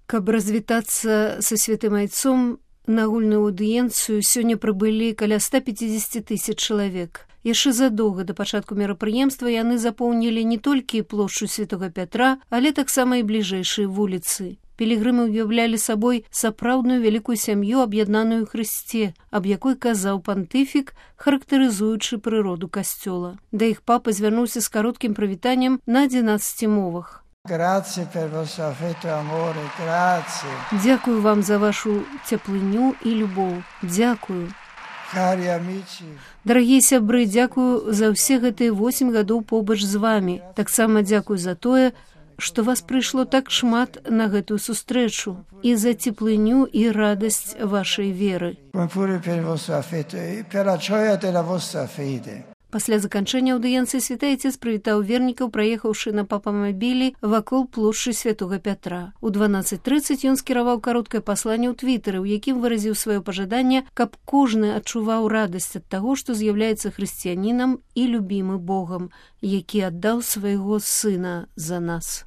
Каб развітацца са святым айцом, на агульную аўдыенцыю сёння прыбылі каля 150 000 чалавек. Яшчэ задоўга да пачатку мерапрыемства яны запоўнілі не толькі плошчу Святога Пятра, але таксама і бліжэйшыя вуліцы. Пілігрымы ўяўлялі сабой сапраўдную вялікую сям'ю, аб'яднаную ў Хрысце, аб якой казаў пантыфік, характарызуючы прыроду касцёла. Да іх папа звярнуўся з кароткім прывітаннем на 11 мовах. Дзякую вам за вашу цеплыню і любоў. Дзякую. Дарагія сябры, дзякую за ўсе гэтыя 8 гадоў побач з вамі. Таксама дзякую за тое, што вас прыйшло так шмат на гэтую сустрэчу і за цеплыню і радасць вашай веры. Пасля заканчэння аўдыенцыі святы айцец прывітаў вернікаў, праехаўшы на папамабілі вакол плошчы Святога Пятра. У 12:30 ён скіраваў кароткае пасланне ў твітары, у якім выразіў сваё пажаданне, каб кожны адчуваў радасць ад таго, што з'яўляецца хрысціянінам і любімы Богам, які аддаў свайго сына за нас.